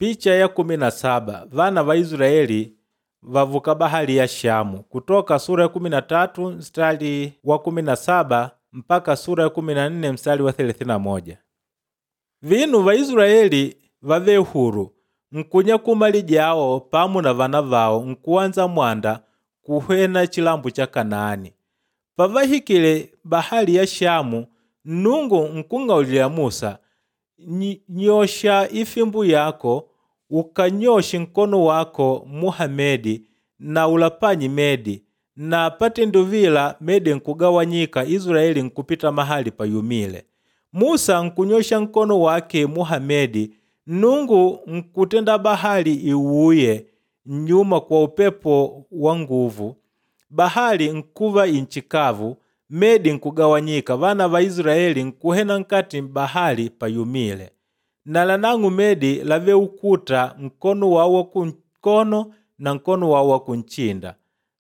Picha ya 17 vana va Israeli vavuka bahali ya Shamu, Kutoka sura ya 13 mstari wa 17 mpaka sura ya 14 mstari wa 31. Vinu va Israeli vave huru nkunya kumali jawo pamu na vana vawo nkuwanza mwanda kuhwena chilambo cha Kanaani. Pavahikile bahali ya Shamu, Nnungu nkung'aulila Musa, nyosha ifimbu yako ukanyoshe nkono wako muha medi na ulapanye medi, na patenduvila medi nkugawanyika, Israeli nkupita mahali payumile. Musa nkunyosha nkono wake muha medi, Nnungu nkutenda bahali iwuye nyuma kwa upepo wa nguvu. Bahali nkuva inchikavu, medi nkugawanyika, vana va Israeli nkuhena nkati bahali payumile. Na lanang'u medi lave ukuta nkono wawo wa kunkono na nkono wawo wa kunchinda.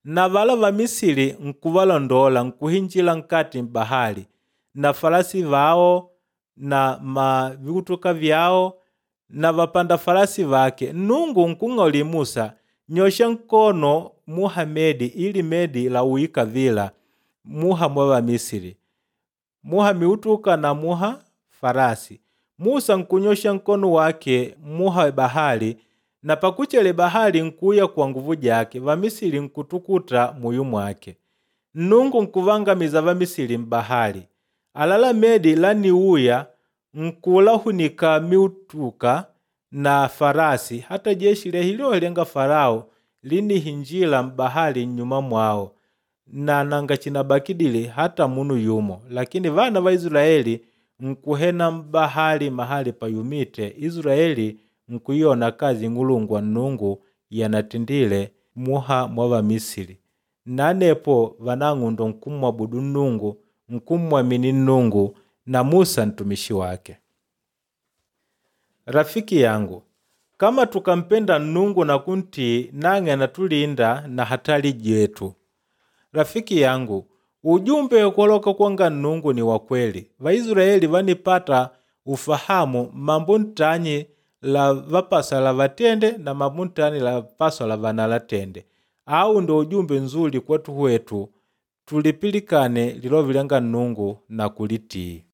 Na vala va Misili nkuvalondola nkuhinjila nkati bahali, na farasi vawo na maviutuka vyawo na vapanda farasi vake. Nnungu nkung'auli Musa, nyosha nkono muha medi ili medi lauika vila muha mwa Vamisili, muha miutuka na muha farasi. Musa nkunyosha nkono wake muha bahali, na pakuchele bahali nkuya kwa nguvu jake, Vamisili nkutukuta muyu mwake. Nnungu nkuvangamiza Vamisili mbahali. Alala medi laniuya nkulahunika miutuka na farasi, hata jeshi lehilo lenga Farao linihinjila mbahali nyuma mwao, na nanga chinabakidile hata munu yumo. Lakini vana va Israeli nkuhena mbahali mahali payumite, Israeli nkuyona kazi ng'ulungwa Nnungu yanatindile muha mwa Vamisili. Nanepo vanang'undo nkummwabudu Nnungu, nkummwamini Nnungu na Musa ntumishi wake. Rafiki yangu, kama tukampenda Nnungu na kuntii, nang'e anatulinda na hatari jetu. Rafiki yangu, ujumbe koloka kwanga Nnungu ni wa kweli. Vaisraeli vanipata ufahamu mambo ntanyi la vapaswa la vatende na mambo ntanyi la paswa la vanalatende. Au ndo ujumbe nzuli kwetu wetu, tulipilikane lilovi lyanga Nnungu na kulitii.